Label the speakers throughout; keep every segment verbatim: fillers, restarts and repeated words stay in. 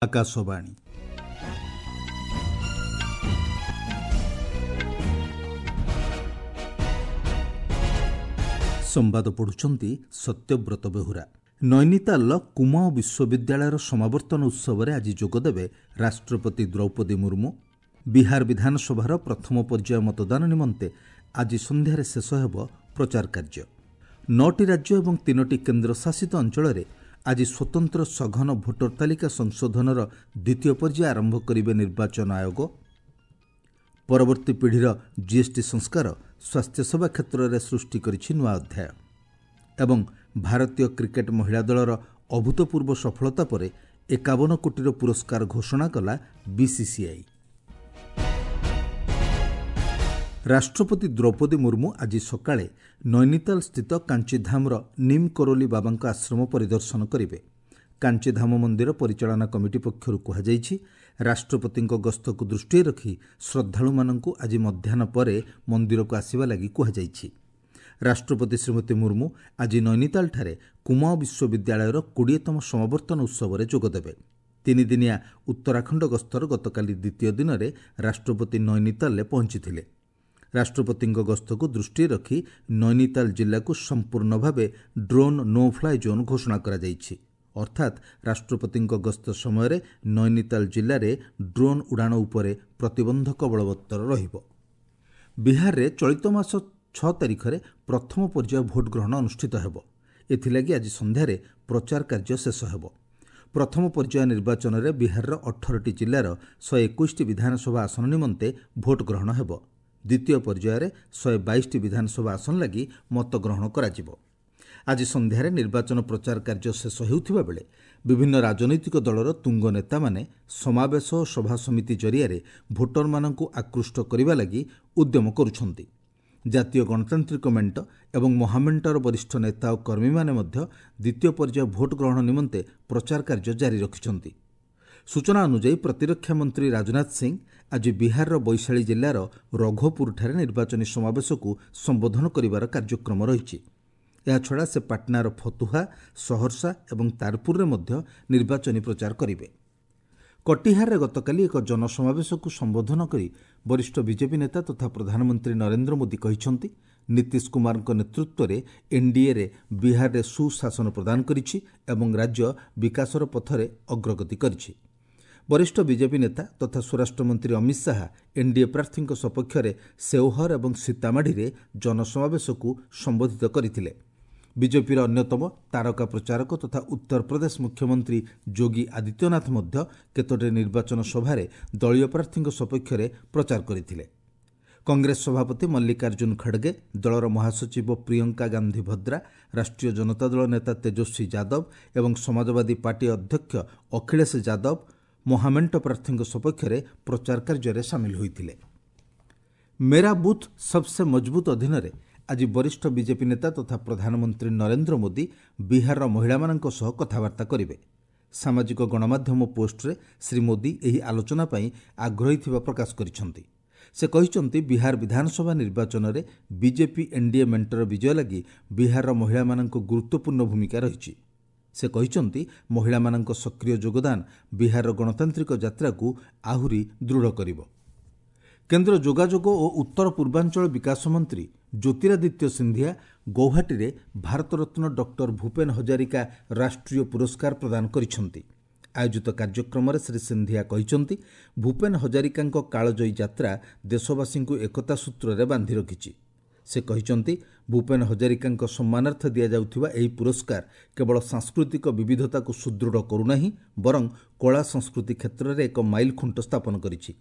Speaker 1: ଆକାଶବାଣୀ। ସମ୍ବାଦ ପଢ଼ୁଛନ୍ତି ସତ୍ୟବ୍ରତ ବେହୁରା। ନୈନିତାଲର କୁମାଓଁ ବିଶ୍ୱବିଦ୍ୟାଳୟର ସମାବର୍ତ୍ତନ ଉତ୍ସବରେ ଆଜି ଯୋଗଦେବେ ରାଷ୍ଟ୍ରପତି ଦ୍ରୌପଦୀ ମୁର୍ମୁ। ବିହାର ବିଧାନସଭାର ପ୍ରଥମ ପର୍ଯ୍ୟାୟ ମତଦାନ ନିମନ୍ତେ ଆଜି ସନ୍ଧ୍ୟାରେ ଶେଷ ହେବ ପ୍ରଚାର କାର୍ଯ୍ୟ। ନଅଟି ରାଜ୍ୟ ଏବଂ ତିନୋଟି କେନ୍ଦ୍ରଶାସିତ ଅଞ୍ଚଳରେ ଆଜି ସ୍ୱତନ୍ତ୍ର ସଘନ ଭୋଟର ତାଲିକା ସଂଶୋଧନର ଦ୍ୱିତୀୟ ପର୍ଯ୍ୟାୟ ଆରମ୍ଭ କରିବେ ନିର୍ବାଚନ ଆୟୋଗ। ପରବର୍ତ୍ତୀ ପିଢ଼ିର ଜିଏସ୍ଟି ସଂସ୍କାର ସ୍ୱାସ୍ଥ୍ୟସେବା କ୍ଷେତ୍ରରେ ସୃଷ୍ଟି କରିଛି ନୂଆ ଅଧ୍ୟାୟ। ଏବଂ ଭାରତୀୟ କ୍ରିକେଟ୍ ମହିଳା ଦଳର ଅଭୂତପୂର୍ବ ସଫଳତା ପରେ ଏକାବନ କୋଟିର ପୁରସ୍କାର ଘୋଷଣା କଲା ବିସିସିଆଇ। ରାଷ୍ଟ୍ରପତି ଦ୍ରୌପଦୀ ମୁର୍ମୁ ଆଜି ସକାଳେ ନୈନିତାଲ ସ୍ଥିତ କାଞ୍ଚିଧାମର ନିମ୍ କରୋଲି ବାବାଙ୍କ ଆଶ୍ରମ ପରିଦର୍ଶନ କରିବେ। କାଞ୍ଚିଧାମ ମନ୍ଦିର ପରିଚାଳନା କମିଟି ପକ୍ଷରୁ କୁହାଯାଇଛି, ରାଷ୍ଟ୍ରପତିଙ୍କ ଗସ୍ତକୁ ଦୃଷ୍ଟିରେ ରଖି ଶ୍ରଦ୍ଧାଳୁମାନଙ୍କୁ ଆଜି ମଧ୍ୟାହ୍ନ ପରେ ମନ୍ଦିରକୁ ଆସିବା ଲାଗି କୁହାଯାଇଛି। ରାଷ୍ଟ୍ରପତି ଶ୍ରୀମତୀ ମୁର୍ମୁ ଆଜି ନୈନିତାଲଠାରେ କୁମାଓଁ ବିଶ୍ୱବିଦ୍ୟାଳୟର କୋଡ଼ିଏତମ ସମାବର୍ତ୍ତନ ଉତ୍ସବରେ ଯୋଗଦେବେ। ତିନିଦିନିଆ ଉତ୍ତରାଖଣ୍ଡ ଗସ୍ତର ଗତକାଲି ଦ୍ୱିତୀୟ ଦିନରେ ରାଷ୍ଟ୍ରପତି ନୈନିତାଲରେ ପହଞ୍ଚିଥିଲେ। ରାଷ୍ଟ୍ରପତିଙ୍କ ଗସ୍ତକୁ ଦୃଷ୍ଟିରେ ରଖି ନୈନିତାଲ ଜିଲ୍ଲାକୁ ସମ୍ପୂର୍ଣ୍ଣ ଭାବେ ଡ୍ରୋନ୍ ନୋ ଫ୍ଲାଏ ଜୋନ୍ ଘୋଷଣା କରାଯାଇଛି। ଅର୍ଥାତ୍ ରାଷ୍ଟ୍ରପତିଙ୍କ ଗସ୍ତ ସମୟରେ ନୈନିତାଲ ଜିଲ୍ଲାରେ ଡ୍ରୋନ୍ ଉଡ଼ାଣ ଉପରେ ପ୍ରତିବନ୍ଧକ ବଳବତ୍ତର ରହିବ। ବିହାରରେ ଚଳିତ ମାସ ଛଅ ତାରିଖରେ ପ୍ରଥମ ପର୍ଯ୍ୟାୟ ଭୋଟ୍ ଗ୍ରହଣ ଅନୁଷ୍ଠିତ ହେବ। ଏଥିଲାଗି ଆଜି ସନ୍ଧ୍ୟାରେ ପ୍ରଚାର କାର୍ଯ୍ୟ ଶେଷ ହେବ। ପ୍ରଥମ ପର୍ଯ୍ୟାୟ ନିର୍ବାଚନରେ ବିହାରର ଅଠରଟି ଜିଲ୍ଲାର ଶହେ ଏକୋଇଶଟି ବିଧାନସଭା ଆସନ ନିମନ୍ତେ ଭୋଟ୍ ଗ୍ରହଣ ହେବ। ଦ୍ୱିତୀୟ ପର୍ଯ୍ୟାୟରେ ଶହେ ବାଇଶଟି ବିଧାନସଭା ଆସନ ଲାଗି ମତଗ୍ରହଣ କରାଯିବ। ଆଜି ସନ୍ଧ୍ୟାରେ ନିର୍ବାଚନ ପ୍ରଚାର କାର୍ଯ୍ୟ ଶେଷ ହେଉଥିବା ବେଳେ ବିଭିନ୍ନ ରାଜନୈତିକ ଦଳର ତୁଙ୍ଗ ନେତାମାନେ ସମାବେଶ ଓ ସଭାସମିତି ଜରିଆରେ ଭୋଟରମାନଙ୍କୁ ଆକୃଷ୍ଟ କରିବା ଲାଗି ଉଦ୍ୟମ କରୁଛନ୍ତି। ଜାତୀୟ ଗଣତାନ୍ତ୍ରିକ ମେଣ୍ଟ ଏବଂ ମହାମେଣ୍ଟର ବରିଷ୍ଠ ନେତା ଓ କର୍ମୀମାନେ ମଧ୍ୟ ଦ୍ୱିତୀୟ ପର୍ଯ୍ୟାୟ ଭୋଟ୍ ଗ୍ରହଣ ନିମନ୍ତେ ପ୍ରଚାର କାର୍ଯ୍ୟ ଜାରି ରଖିଛନ୍ତି। ସୂଚନା ଅନୁଯାୟୀ ପ୍ରତିରକ୍ଷା ମନ୍ତ୍ରୀ ରାଜନାଥ ସିଂ ଆଜି ବିହାରର ବୈଶାଳୀ ଜିଲ୍ଲାର ରଘୋପୁରଠାରେ ନିର୍ବାଚନୀ ସମାବେଶକୁ ସମ୍ବୋଧନ କରିବାର କାର୍ଯ୍ୟକ୍ରମ ରହିଛି। ଏହାଛଡ଼ା ସେ ପାଟନାର ଫତୁହା, ସହରସା ଏବଂ ତାରପୁରରେ ମଧ୍ୟ ନିର୍ବାଚନୀ ପ୍ରଚାର କରିବେ। କଟିହାରରେ ଗତକାଲି ଏକ ଜନସମାବେଶକୁ ସମ୍ବୋଧନ କରି ବରିଷ୍ଠ ବିଜେପି ନେତା ତଥା ପ୍ରଧାନମନ୍ତ୍ରୀ ନରେନ୍ଦ୍ର ମୋଦି କହିଛନ୍ତି, ନୀତିଶ କୁମାରଙ୍କ ନେତୃତ୍ୱରେ ଏନ୍ଡିଏରେ ବିହାରରେ ସୁଶାସନ ପ୍ରଦାନ କରିଛି ଏବଂ ରାଜ୍ୟ ବିକାଶର ପଥରେ ଅଗ୍ରଗତି କରିଛି। ବରିଷ୍ଠ ବିଜେପି ନେତା ତଥା ସ୍ୱରାଷ୍ଟ୍ରମନ୍ତ୍ରୀ ଅମିତ ଶାହା ଏନ୍ଡିଏ ପ୍ରାର୍ଥୀଙ୍କ ସପକ୍ଷରେ ସେଓହର ଏବଂ ସୀତାମାଢ଼ିରେ ଜନସମାବେଶକୁ ସମ୍ବୋଧିତ କରିଥିଲେ। ବିଜେପିର ଅନ୍ୟତମ ତାରକା ପ୍ରଚାରକ ତଥା ଉତ୍ତରପ୍ରଦେଶ ମୁଖ୍ୟମନ୍ତ୍ରୀ ଯୋଗୀ ଆଦିତ୍ୟନାଥ ମଧ୍ୟ କେତୋଟି ନିର୍ବାଚନ ସଭାରେ ଦଳୀୟ ପ୍ରାର୍ଥୀଙ୍କ ସପକ୍ଷରେ ପ୍ରଚାର କରିଥିଲେ। କଂଗ୍ରେସ ସଭାପତି ମଲ୍ଲିକାର୍ଜୁନ ଖଡ଼ଗେ, ଦଳର ମହାସଚିବ ପ୍ରିୟଙ୍କା ଗାନ୍ଧୀ ଭଦ୍ରା, ରାଷ୍ଟ୍ରୀୟ ଜନତା ଦଳ ନେତା ତେଜସ୍ୱୀ ଯାଦବ ଏବଂ ସମାଜବାଦୀ ପାର୍ଟି ଅଧ୍ୟକ୍ଷ ଅଖିଳେଶ ଯାଦବ ମହାମେଣ୍ଟ ପ୍ରାର୍ଥୀଙ୍କ ସପକ୍ଷରେ ପ୍ରଚାର କାର୍ଯ୍ୟରେ ସାମିଲ ହୋଇଥିଲେ। ମେରା ବୁଥ୍ ସବସେ ମଜବୁତ ଅଧୀନରେ ଆଜି ବରିଷ୍ଠ ବିଜେପି ନେତା ତଥା ପ୍ରଧାନମନ୍ତ୍ରୀ ନରେନ୍ଦ୍ର ମୋଦି ବିହାରର ମହିଳାମାନଙ୍କ ସହ କଥାବାର୍ତ୍ତା କରିବେ। ସାମାଜିକ ଗଣମାଧ୍ୟମ ପୋଷ୍ଟରେ ଶ୍ରୀ ମୋଦି ଏହି ଆଲୋଚନା ପାଇଁ ଆଗ୍ରହୀ ଥିବା ପ୍ରକାଶ କରିଛନ୍ତି। ସେ କହିଛନ୍ତି, ବିହାର ବିଧାନସଭା ନିର୍ବାଚନରେ ବିଜେପି ଏନ୍ଡିଏ ମେଣ୍ଟର ବିଜୟ ଲାଗି ବିହାରର ମହିଳାମାନଙ୍କ ଗୁରୁତ୍ୱପୂର୍ଣ୍ଣ ଭୂମିକା ରହିଛି। ସେ କହିଛନ୍ତି, ମହିଳାମାନଙ୍କ ସକ୍ରିୟ ଯୋଗଦାନ ବିହାରର ଗଣତାନ୍ତ୍ରିକ ଯାତ୍ରାକୁ ଆହୁରି ଦୃଢ଼ କରିବ। କେନ୍ଦ୍ର ଯୋଗାଯୋଗ ଓ ଉତ୍ତର ପୂର୍ବାଞ୍ଚଳ ବିକାଶ ମନ୍ତ୍ରୀ ଜ୍ୟୋତିରାଦିତ୍ୟ ସିନ୍ଧିଆ ଗୌହାଟୀରେ ଭାରତରତ୍ନ ଡକ୍ଟର ଭୂପେନ ହଜାରିକା ରାଷ୍ଟ୍ରୀୟ ପୁରସ୍କାର ପ୍ରଦାନ କରିଛନ୍ତି। ଆୟୋଜିତ କାର୍ଯ୍ୟକ୍ରମରେ ଶ୍ରୀ ସିନ୍ଧିଆ କହିଛନ୍ତି, ଭୂପେନ ହଜାରିକାଙ୍କ କାଳଜୟୀ ଯାତ୍ରା ଦେଶବାସୀଙ୍କୁ ଏକତା ସୂତ୍ରରେ ବାନ୍ଧି ରଖିଛି। ସେ କହିଛନ୍ତି, ଭୂପେନ ହଜାରିକାଙ୍କ ସମ୍ମାନାର୍ଥେ ଦିଆଯାଉଥିବା ଏହି ପୁରସ୍କାର କେବଳ ସାଂସ୍କୃତିକ ବିବିଧତାକୁ ସୁଦୃଢ଼ କରୁନାହିଁ, ବରଂ କଳା ସଂସ୍କୃତି କ୍ଷେତ୍ରରେ ଏକ ମାଇଲଖୁଣ୍ଟ ସ୍ଥାପନ କରିଛି।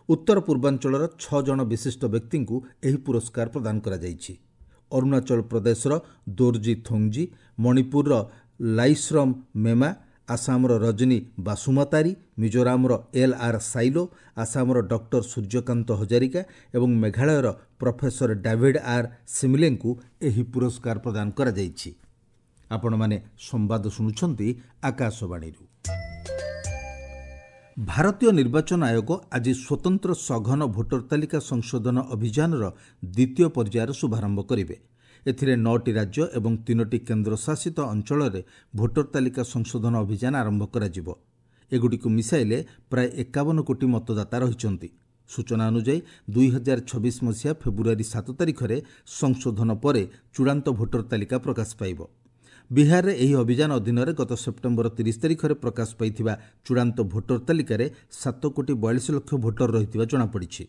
Speaker 1: ଉତ୍ତର ପୂର୍ବାଞ୍ଚଳର ଛଅ ଜଣ ବିଶିଷ୍ଟ ବ୍ୟକ୍ତିଙ୍କୁ ଏହି ପୁରସ୍କାର ପ୍ରଦାନ କରାଯାଇଛି। ଅରୁଣାଚଳ ପ୍ରଦେଶର ଦୋର୍ଜି ଥୋଙ୍ଗଜି, ମଣିପୁରର ଲାଇଶ୍ରମ ମେମା, ଆସାମର ରଜନୀ ବାସୁମାତାରୀ, ମିଜୋରାମର ଏଲ୍ ଆର୍ ସାଇଲୋ, ଆସାମର ଡକ୍ଟର ସୂର୍ଯ୍ୟକାନ୍ତ ହଜାରିକା ଏବଂ ମେଘାଳୟର ପ୍ରଫେସର ଡାଭିଡ୍ ଆର୍ ସିମିଲେଙ୍କୁ ଏହି ପୁରସ୍କାର ପ୍ରଦାନ କରାଯାଇଛି। ଆପଣମାନେ ସମ୍ବାଦ ଶୁଣୁଛନ୍ତି ଆକାଶବାଣୀରୁ। ଭାରତୀୟ ନିର୍ବାଚନ ଆୟୋଗ ଆଜି ସ୍ୱତନ୍ତ୍ର ସଘନ ଭୋଟର ତାଲିକା ସଂଶୋଧନ ଅଭିଯାନର ଦ୍ୱିତୀୟ ପର୍ଯ୍ୟାୟର ଶୁଭାରମ୍ଭ କରିବେ। ଏଥିରେ ନଅଟି ରାଜ୍ୟ ଏବଂ ତିନୋଟି କେନ୍ଦ୍ରଶାସିତ ଅଞ୍ଚଳରେ ଭୋଟର ତାଲିକା ସଂଶୋଧନ ଅଭିଯାନ ଆରମ୍ଭ କରାଯିବ। ଏଗୁଡ଼ିକୁ ମିଶାଇଲେ ପ୍ରାୟ ଏକାବନ କୋଟି ମତଦାତା ରହିଛନ୍ତି। ସୂଚନା ଅନୁଯାୟୀ ଦୁଇ ହଜାର ଛବିଶ ମସିହା ଫେବୃଆରୀ ସାତ ତାରିଖରେ ସଂଶୋଧନ ପରେ ଚୂଡ଼ାନ୍ତ ଭୋଟର ତାଲିକା ପ୍ରକାଶ ପାଇବ। ବିହାରରେ ଏହି ଅଭିଯାନ ଅଧୀନରେ ଗତ ସେପ୍ଟେମ୍ବର ତିରିଶ ତାରିଖରେ ପ୍ରକାଶ ପାଇଥିବା ଚୂଡ଼ାନ୍ତ ଭୋଟର ତାଲିକାରେ ସାତ କୋଟି ବୟାଳିଶ ଲକ୍ଷ ଭୋଟର ରହିଥିବା ଜଣାପଡ଼ିଛି।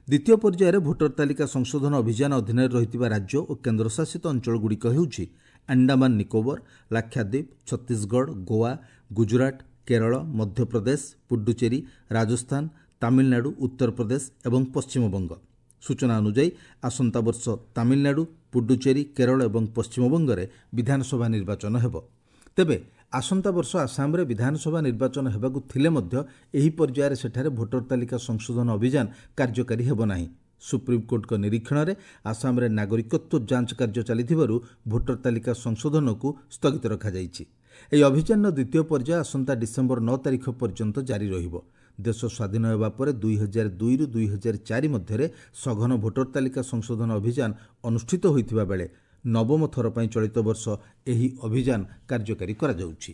Speaker 1: ଦ୍ୱିତୀୟ ପର୍ଯ୍ୟାୟରେ ଭୋଟର ତାଲିକା ସଂଶୋଧନ ଅଭିଯାନ ଅଧୀନରେ ରହିଥିବା ରାଜ୍ୟ ଓ କେନ୍ଦ୍ରଶାସିତ ଅଞ୍ଚଳଗୁଡ଼ିକ ହେଉଛି ଆଣ୍ଡାମାନ ନିକୋବର, ଲାକ୍ଷାଦ୍ୱୀପ, ଛତିଶଗଡ଼, ଗୋଆ, ଗୁଜରାଟ, କେରଳ, ମଧ୍ୟପ୍ରଦେଶ, ପୁଡୁଚେରୀ, ରାଜସ୍ଥାନ, ତାମିଲନାଡୁ, ଉତ୍ତରପ୍ରଦେଶ ଏବଂ ପଶ୍ଚିମବଙ୍ଗ। ସୂଚନା ଅନୁଯାୟୀ ଆସନ୍ତା ବର୍ଷ ତାମିଲନାଡୁ, ପୁଡୁଚେରୀ, କେରଳ ଏବଂ ପଶ୍ଚିମବଙ୍ଗରେ ବିଧାନସଭା ନିର୍ବାଚନ ହେବ। ତେବେ ଆସନ୍ତା ବର୍ଷ ଆସାମରେ ବିଧାନସଭା ନିର୍ବାଚନ ହେବାକୁ ଥିଲେ ମଧ୍ୟ ଏହି ପର୍ଯ୍ୟାୟରେ ସେଠାରେ ଭୋଟର ତାଲିକା ସଂଶୋଧନ ଅଭିଯାନ କାର୍ଯ୍ୟକାରୀ ହେବ ନାହିଁ। ସୁପ୍ରିମକୋର୍ଟଙ୍କ ନିରୀକ୍ଷଣରେ ଆସାମରେ ନାଗରିକତ୍ୱ ଯାଞ୍ଚ କାର୍ଯ୍ୟ ଚାଲିଥିବାରୁ ଭୋଟର ତାଲିକା ସଂଶୋଧନକୁ ସ୍ଥଗିତ ରଖାଯାଇଛି। ଏହି ଅଭିଯାନର ଦ୍ୱିତୀୟ ପର୍ଯ୍ୟାୟ ଆସନ୍ତା ଡିସେମ୍ବର ନଅ ତାରିଖ ପର୍ଯ୍ୟନ୍ତ ଜାରି ରହିବ। ଦେଶ ସ୍ୱାଧୀନ ହେବା ପରେ ଦୁଇ ହଜାର ଦୁଇରୁ ଦୁଇ ହଜାର ଚାରି ମଧ୍ୟରେ ସଘନ ଭୋଟର ତାଲିକା ସଂଶୋଧନ ଅଭିଯାନ ଅନୁଷ୍ଠିତ ହୋଇଥିବା ବେଳେ ନବମ ଥର ପାଇଁ ଚଳିତ ବର୍ଷ ଏହି ଅଭିଯାନ କାର୍ଯ୍ୟକାରୀ କରାଯାଉଛି।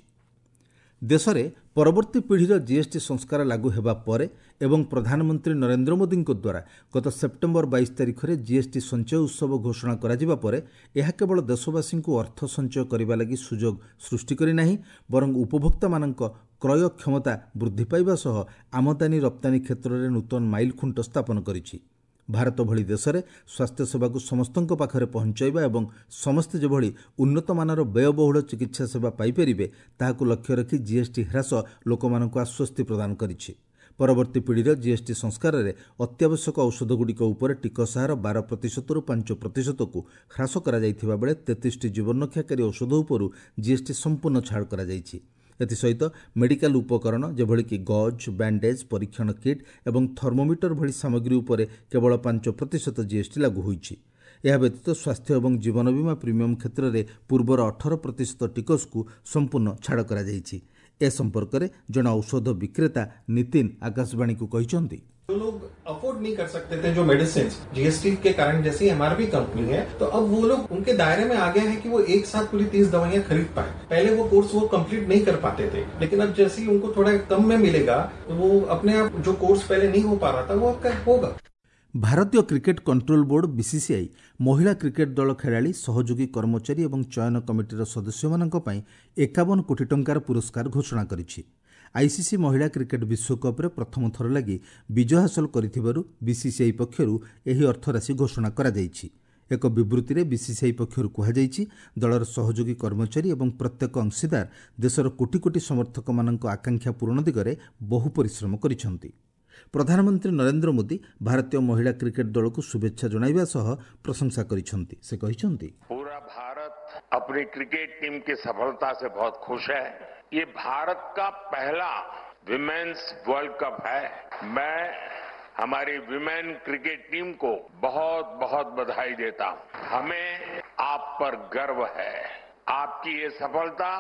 Speaker 1: ଦେଶରେ ପରବର୍ତ୍ତୀ ପିଢ଼ିର ଜିଏସ୍ଟି ସଂସ୍କାର ଲାଗୁ ହେବା ପରେ ଏବଂ ପ୍ରଧାନମନ୍ତ୍ରୀ ନରେନ୍ଦ୍ର ମୋଦିଙ୍କ ଦ୍ୱାରା ଗତ ସେପ୍ଟେମ୍ବର ବାଇଶ ତାରିଖରେ ଜିଏସ୍ଟି ସଞ୍ଚୟ ଉତ୍ସବ ଘୋଷଣା କରାଯିବା ପରେ ଏହା କେବଳ ଦେଶବାସୀଙ୍କୁ ଅର୍ଥ ସଞ୍ଚୟ କରିବା ଲାଗି ସୁଯୋଗ ସୃଷ୍ଟି କରିନାହିଁ, ବରଂ ଉପଭୋକ୍ତାମାନଙ୍କ କ୍ରୟ କ୍ଷମତା ବୃଦ୍ଧି ପାଇବା ସହ ଆମଦାନୀ ରପ୍ତାନୀ କ୍ଷେତ୍ରରେ ନୂତନ ମାଇଲଖୁଣ୍ଟ ସ୍ଥାପନ କରିଛି। ଭାରତ ଭଳି ଦେଶରେ ସ୍ୱାସ୍ଥ୍ୟସେବାକୁ ସମସ୍ତଙ୍କ ପାଖରେ ପହଞ୍ଚାଇବା ଏବଂ ସମସ୍ତେ ଯେଭଳି ଉନ୍ନତମାନର ବ୍ୟୟବହୁଳ ଚିକିତ୍ସା ସେବା ପାଇପାରିବେ ତାହାକୁ ଲକ୍ଷ୍ୟ ରଖି ଜିଏସ୍ଟି ହ୍ରାସ ଲୋକମାନଙ୍କୁ ଆଶ୍ୱସ୍ତି ପ୍ରଦାନ କରିଛି। ପରବର୍ତ୍ତୀ ପିଢ଼ିର ଜିଏସ୍ଟି ସଂସ୍କାରରେ ଅତ୍ୟାବଶ୍ୟକ ଔଷଧଗୁଡ଼ିକ ଉପରେ ଟିକସ ହାର ବାର ପ୍ରତିଶତରୁ ପାଞ୍ଚ ପ୍ରତିଶତକୁ ହ୍ରାସ କରାଯାଇଥିବା ବେଳେ ତେତିଶଟି ଜୀବନରକ୍ଷାକାରୀ ଔଷଧ ଉପରୁ ଜିଏସ୍ଟି ସମ୍ପୂର୍ଣ୍ଣ ଛାଡ଼ କରାଯାଇଛି। ଏଥିସହିତ ମେଡିକାଲ ଉପକରଣ ଯେଭଳିକି ଗଜ୍, ବ୍ୟାଣ୍ଡେଜ୍, ପରୀକ୍ଷଣ କିଟ୍ ଏବଂ ଥର୍ମୋମିଟର ଭଳି ସାମଗ୍ରୀ ଉପରେ କେବଳ ପାଞ୍ଚ ପ୍ରତିଶତ ଜିଏସ୍ଟି ଲାଗୁ ହୋଇଛି। ଏହା ବ୍ୟତୀତ ସ୍ୱାସ୍ଥ୍ୟ ଏବଂ ଜୀବନ ବୀମା ପ୍ରିମିୟମ କ୍ଷେତ୍ରରେ ପୂର୍ବର ଅଠର ପ୍ରତିଶତ ଟିକସକୁ ସମ୍ପୂର୍ଣ୍ଣ ଛାଡ଼ କରାଯାଇଛି। ଏ ସମ୍ପର୍କରେ ଜଣେ ଔଷଧ ବିକ୍ରେତା ନିତିନ ଆକାଶବାଣୀକୁ କହିଛନ୍ତି,
Speaker 2: जो लोग अफोर्ड नहीं कर सकते थे जो मेडिसिन जीएसटी के कारण जैसी एमआरपी कंपनी है, तो अब वो लोग उनके दायरे में आ गया है कि वो एक साथ पूरी तीस दवाइयां खरीद पाए। पहले वो कोर्स वो कंप्लीट नहीं कर पाते थे, लेकिन अब जैसे ही उनको थोड़ा कम में मिलेगा तो वो अपने आप जो कोर्स पहले नहीं हो पा रहा था वो अब होगा।
Speaker 1: ଭାରତୀୟ କ୍ରିକେଟ କଣ୍ଟ୍ରୋଲ ବୋର୍ଡ ବିସିସିଆଇ ମହିଳା କ୍ରିକେଟ ଦଳ ଖେଳାଳି, ସହଯୋଗୀ କର୍ମଚାରୀ ଏବଂ ଚୟନ କମିଟିର ସଦସ୍ୟମାନଙ୍କ ପାଇଁ ଏକାବନ କୋଟି ଟଙ୍କାର ପୁରସ୍କାର ଘୋଷଣା କରିଛି। ଆଇସିସି ମହିଳା କ୍ରିକେଟ ବିଶ୍ୱକପ୍ରେ ପ୍ରଥମ ଥର ଲାଗି ବିଜୟ ହାସଲ କରିଥିବାରୁ ବିସିସିଆଇ ପକ୍ଷରୁ ଏହି ଅର୍ଥରାଶି ଘୋଷଣା କରାଯାଇଛି। ଏକ ବିବୃତ୍ତିରେ ବିସିସିଆଇ ପକ୍ଷରୁ କୁହାଯାଇଛି, ଦଳର ସହଯୋଗୀ କର୍ମଚାରୀ ଏବଂ ପ୍ରତ୍ୟେକ ଅଂଶୀଦାର ଦେଶର କୋଟି କୋଟି ସମର୍ଥକମାନଙ୍କ ଆକାଂକ୍ଷା ପୂରଣ ଦିଗରେ ବହୁ ପରିଶ୍ରମ କରିଛନ୍ତି। ପ୍ରଧାନମନ୍ତ୍ରୀ ନରେନ୍ଦ୍ର ମୋଦି ଭାରତୀୟ ମହିଳା କ୍ରିକେଟ ଦଳକୁ ଶୁଭେଚ୍ଛା ଜଣାଇବା ସହ ପ୍ରଶଂସା କରିଛନ୍ତି। ସେ କହିଛନ୍ତି,
Speaker 3: पूरा भारत अपनी क्रिकेट टीम की सफलता से बहुत खुश है। ये भारत का पहला विमेन्स वर्ल्ड कप है। मैं हमारी विमेन क्रिकेट टीम को बहुत बहुत बधाई देता हूं। हमें आप पर गर्व है। आपकी ये सफलता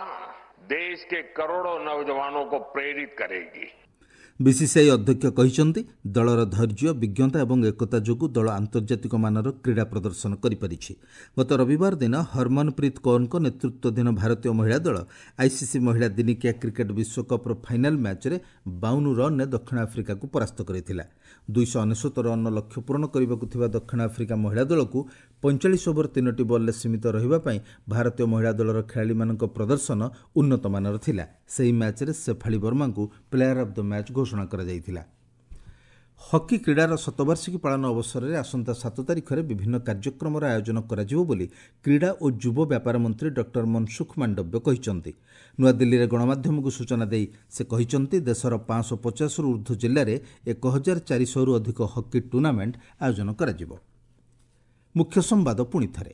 Speaker 3: देश के करोड़ों नौजवानों को प्रेरित करेगी।
Speaker 1: ବିସିସିଆଇ ଅଧ୍ୟକ୍ଷ କହିଛନ୍ତି, ଦଳର ଧୈର୍ଯ୍ୟ, ବିଜ୍ଞତା ଏବଂ ଏକତା ଯୋଗୁଁ ଦଳ ଆନ୍ତର୍ଜାତିକ ମାନର କ୍ରୀଡ଼ା ପ୍ରଦର୍ଶନ କରିପାରିଛି। ଗତ ରବିବାର ଦିନ ହରମନପ୍ରୀତ କୌରଙ୍କ ନେତୃତ୍ୱାଧୀନ ଭାରତୀୟ ମହିଳା ଦଳ ଆଇସିସି ମହିଳା ଦିନିକିଆ କ୍ରିକେଟ ବିଶ୍ୱକପ୍ର ଫାଇନାଲ ମ୍ୟାଚ୍ରେ ବାଉନ ରନ୍ରେ ଦକ୍ଷିଣ ଆଫ୍ରିକାକୁ ପରାସ୍ତ କରିଥିଲା। ଦୁଇଶହ ଅନେଶ୍ୱତ ରନ୍ର ଲକ୍ଷ୍ୟ ପୂରଣ କରିବାକୁ ଥିବା ଦକ୍ଷିଣ ଆଫ୍ରିକା ମହିଳା ଦଳକୁ ପଇଁଚାଳିଶ ଓଭର ତିନୋଟି ବଲ୍ରେ ସୀମିତ ରହିବା ପାଇଁ ଭାରତୀୟ ମହିଳା ଦଳର ଖେଳାଳିମାନଙ୍କ ପ୍ରଦର୍ଶନ ଉନ୍ନତମାନର ଥିଲା। ସେହି ମ୍ୟାଚ୍ରେ ଶେଫାଳି ବର୍ମାଙ୍କୁ ପ୍ଲେୟାର ଅଫ୍ the match ଘୋଷଣା କରାଯାଇଥିଲା। ହକି କ୍ରୀଡ଼ାର ଶତବାର୍ଷିକୀ ପାଳନ ଅବସରରେ ଆସନ୍ତା ସାତ ତାରିଖରେ ବିଭିନ୍ନ କାର୍ଯ୍ୟକ୍ରମର ଆୟୋଜନ କରାଯିବ ବୋଲି କ୍ରୀଡ଼ା ଓ ଯୁବ ବ୍ୟାପାର ମନ୍ତ୍ରୀ ଡକ୍ଟର ମନସୁଖ ମାଣ୍ଡବ୍ୟ କହିଛନ୍ତି। ନୂଆଦିଲ୍ଲୀରେ ଗଣମାଧ୍ୟମକୁ ସୂଚନା ଦେଇ ସେ କହିଛନ୍ତି, ଦେଶର ପାଞ୍ଚଶହ ପଚାଶରୁ ଉର୍ଦ୍ଧ୍ୱ ଜିଲ୍ଲାରେ ଏକ ହଜାର ଚାରିଶହରୁ ଅଧିକ ହକି ଟୁର୍ଣ୍ଣାମେଣ୍ଟ ଆୟୋଜନ କରାଯିବ। ମୁଖ୍ୟ ସମ୍ବାଦ ପୁଣି ଥରେ।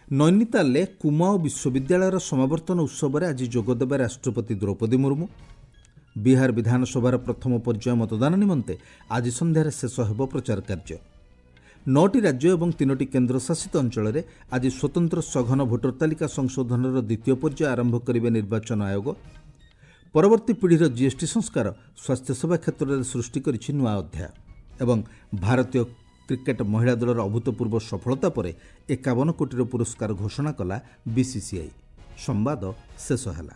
Speaker 1: ନୈନିତାଲରେ କୁମାଓ ବିଶ୍ୱବିଦ୍ୟାଳୟର ସମାବର୍ତ୍ତନ ଉତ୍ସବରେ ଆଜି ଯୋଗଦେବେ ରାଷ୍ଟ୍ରପତି ଦ୍ରୌପଦୀ ମୁର୍ମୁ। ବିହାର ବିଧାନସଭାର ପ୍ରଥମ ପର୍ଯ୍ୟାୟ ମତଦାନ ନିମନ୍ତେ ଆଜି ସନ୍ଧ୍ୟାରେ ଶେଷ ହେବ ପ୍ରଚାର କାର୍ଯ୍ୟ। ନଅଟି ରାଜ୍ୟ ଏବଂ ତିନୋଟି କେନ୍ଦ୍ରଶାସିତ ଅଞ୍ଚଳରେ ଆଜି ସ୍ୱତନ୍ତ୍ର ସଘନ ଭୋଟର ତାଲିକା ସଂଶୋଧନର ଦ୍ୱିତୀୟ ପର୍ଯ୍ୟାୟ ଆରମ୍ଭ କରିବେ ନିର୍ବାଚନ ଆୟୋଗ। ପରବର୍ତ୍ତୀ ପିଢ଼ିର ଜିଏସ୍ଟି ସଂସ୍କାର ସ୍ୱାସ୍ଥ୍ୟସେବା କ୍ଷେତ୍ରରେ ସୃଷ୍ଟି କରିଛି ନୂଆ ଅଧ୍ୟାୟ। ଏବଂ ଭାରତୀୟ କ୍ରିକେଟ ମହିଳା ଦଳର ଅଭୂତପୂର୍ବ ସଫଳତା ପରେ ଏକାବନ କୋଟିର ପୁରସ୍କାର ଘୋଷଣା କଲା ବିସିସିଆଇ। ସମ୍ବାଦ ଶେଷ ହେଲା।